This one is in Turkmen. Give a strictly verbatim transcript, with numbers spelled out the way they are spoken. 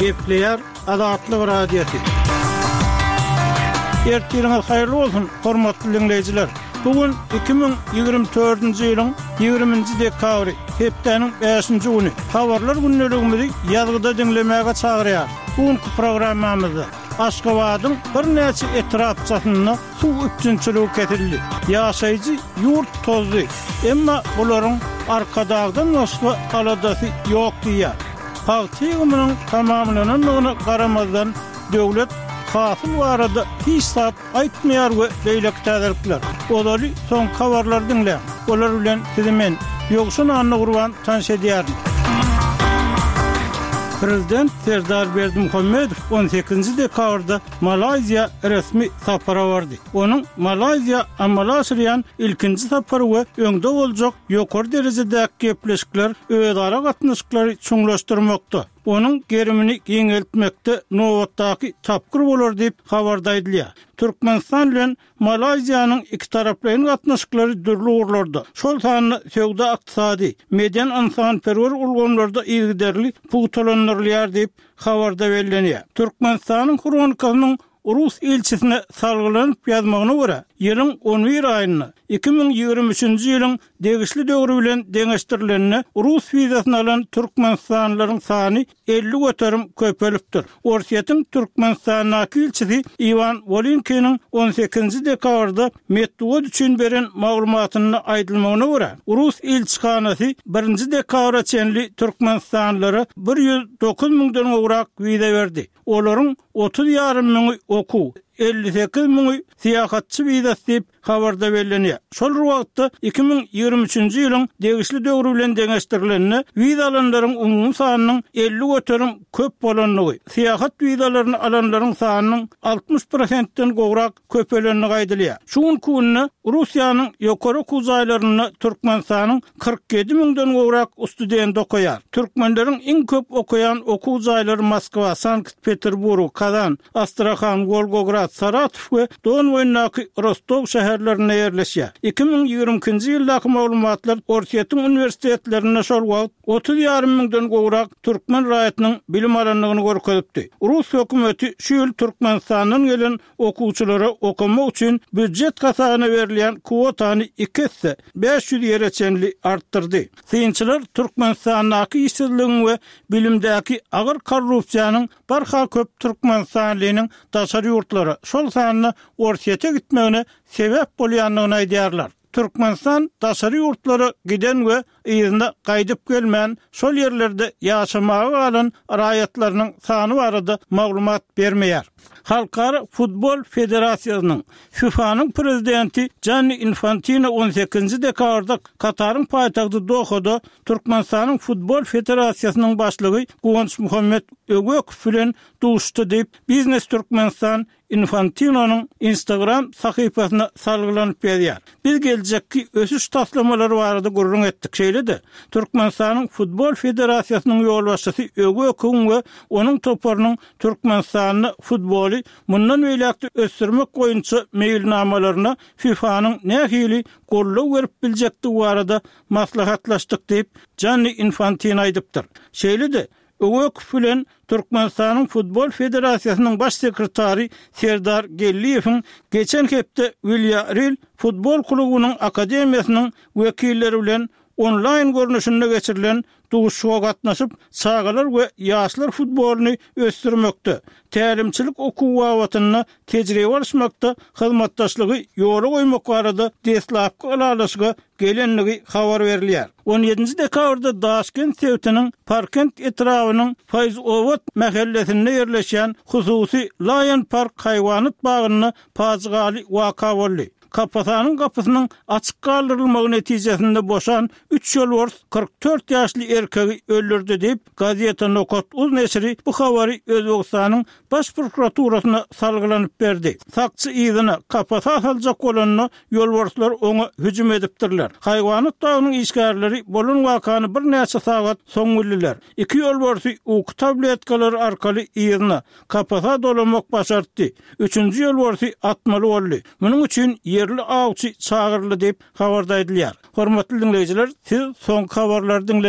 Gepleýär Azatlyk Radiosy. Ertiriňiz haýyrly bolsun, hormatly diňleýjiler! Bu gün iki müň ýigrimi dördünji ýylyň ýigriminji dekabry, hepdäniň bäşinji güni. Habarlar gündeligimizi ýazgyda diňlemäge çagyrýar. Bu günki programmamyzda Aşgabadyň birnäçe etrapçasynda suw üpjünçiligi kesildi. Ýaşaýjy ýurt tozdy, emma bularyň Arkadagdan başga aladasy ýok diýýär. Pagta ýygymynyň tamamlanandygyna garamazdan, döwlet hasyl barada hiç zat aýtmaýar we beýleki täzelikler. Ozaly soňky habarlary diňläň. Olar bilen sizi men, Ýowşan Annagurban tanyş edýärin. Prezident Serdar Berdimuhamedow on sekizinji dekabrda Malaýziýa resmi sapara bardy. Onuň Malaýziýa amala aşyrýan ilkinji sapary we öňde boljak ýokary derejedäki gepleşikler özara gatnaşyklary çuňlaşdyrmakda, onuň gerimini giňeltmekde nobatdaky tapgyr bolar diýip, habarda aýdylýar. Türkmenistan bilen Malaýziýanyň ikitaraplaýyn gatnaşyklary dürli ugurlarda, şol sanda söwda-ykdysady, medeni-ynsanperwer ulgamlarda yzygiderli pugtalandyrylýar diýip, habarda bellenýär. Türkmenistanyň Hronikasynyň rus ilçisine salgylanyp ýazmagyna görä, ýylyň on bir aýynda, iki müň ýigrimi üçünji ýylyň degişli döwri bilen deňeşdirilende, rus wizasyny alan türkmenistanlylaryň sany elli göterim köpelipdir. Orsýetiň Türkmenistandaky ilçisi Iwan Wolynkiniň on sekizinji dekabrda metbugat üçin beren maglumatynda aýdylmagyna görä, rus ilçihanasy birinji dekabra çenli türkmenistanlylara bir ýüz dokuz müňden gowrak wiza berdi. Olaryň otuz ýarym müňi okuw, elli sekiz müňi syýahatçy wizasy diýip, habarda bellenýär. Şol bir wagtda, iki müň ýigrimi üçünji ýylyň degişli döwri bilen deňeşdirilende, wiza alanlaryň umumy sanynyň elli göterim köp bolandygy, syýahat wizalaryny alanlaryň sanynyň altmyş prosentden gowrak köpelendigi aýdylýar. Şu günki günde Russiýanyň ýokary okuw jaýlarynda Türkmenistanyň kyrk ýedi müňden gowrak studenti okaýar. Türkmenleriň iň köp okaýan okuw jaýlary Moskwa, Sankt-Peterburg, Kazan, Astrahan, Wolgograd, Saratow we Don boýundaky Rostow şäherlerinde ýerleşýär. Iki müň ýigrimi ikinji ýyldaky maglumatlar Orsýetiň uniwersitetlerinde şol wagt otuz ýarym müňden gowrak türkmen raýatynyň bilim alandygyny görkezipdi. Rus hökümeti şu ýyl Türkmenistandan gelen okuwçylara okamak üçin býujet hasabyna berilýän kwotany iki esse, bäş ýüz ýere çenli artdyrdy. Synçylar Türkmenistandaky işsizligiň we bilimdäki agyr korrupsiýanyň barha köp türkmenistanlynyň daşary ýurtlara, şol sanda Orsýete gitmegine sebäp bolýandygyny aýdýarlar. Türkmenistan daşary ýurtlara giden we yzyna gaýdyp gelmän, şol ýerlerde ýaşamaga galan raýatlarynyň sany barada maglumat bermeýär. Halkara futbol federasiýasynyň, FIFA-nyň prezidenti Janni Infantino on sekizinji dekabrda Kataryň paýtagty Dohada Türkmenistanyň Futbol federasiýasynyň başlygy Guwançmuhammet Öwekow bilen duşuşdy diýip, Biznes Türkmenistan Infantinonyň Instagram sahypasyna salgylanyp ýazýar. Biz geljekki ösüş taslamalary barada gürrüň etdik. Şeýle-de, Türkmenistanyň Futbol federasiýasynyň ýolbaşçysy Öwekowyň we onuň toparynyň Türkmenistanda futboly mundan beýläk-de ösdürmek boýunça meýilnamalaryna FIFA-nyň nähili goldaw berip biljekdigi barada maslahatlaşdyk diýip, Janni Infantino aýdypdyr. Şeýle-de, Öwekow bilen Türkmenistanyň Futbol federasiýasynyň baş sekretary Serdar Geldiýewiň geçen hepde Wilýarreal futbol klubunyň akademiýasynyň wekilleri bilen onlaýn görnüşinde geçirilen duşuşyga gatnaşyp, çagalar we ýaşlar futbolyny ösdürmekde, tälimçilik okuwy babatynda tejribe alyşmakda hyzmatdaşlygy ýola goýmak barada deslapky ylalaşyga gelendigi habar berilýär. On ýedinji dekabrda Daşkent sebitiniň Parkent etrabynyň Faýzobad mähellesinde ýerleşýän hususy Lion Park haýwanat bagynda pajygaly waka boldy. Kapasanyň gapysynyň açyk galdyrylmagy netijesinde boşan üç ýolbars kyrk dört ýaşly erkegi öldürdi diýip, Gazeta Nokat uz neşiri bu habary Özbegistanyň Baş prokuraturasyna salgylanyp berdi. Sakçy yzyna, kapasa saljak bolanda, ýolbarslar oňa hüjüm edipdirler. Haýwanat bagynyň işgärleri bolan wakany birnäçe sagat soň bildiler. Iki ýolbarsy uky tabletkalary arkaly yzyna, kapasa dolamak başartdy. Üçünji ýolbarsy atmaly boldy. Munuň üçin ýerli awçy çagyryldy diýip, habarda aýdylýar. Hormatly diňleýjiler, siz soňky habarlary diňlediňiz.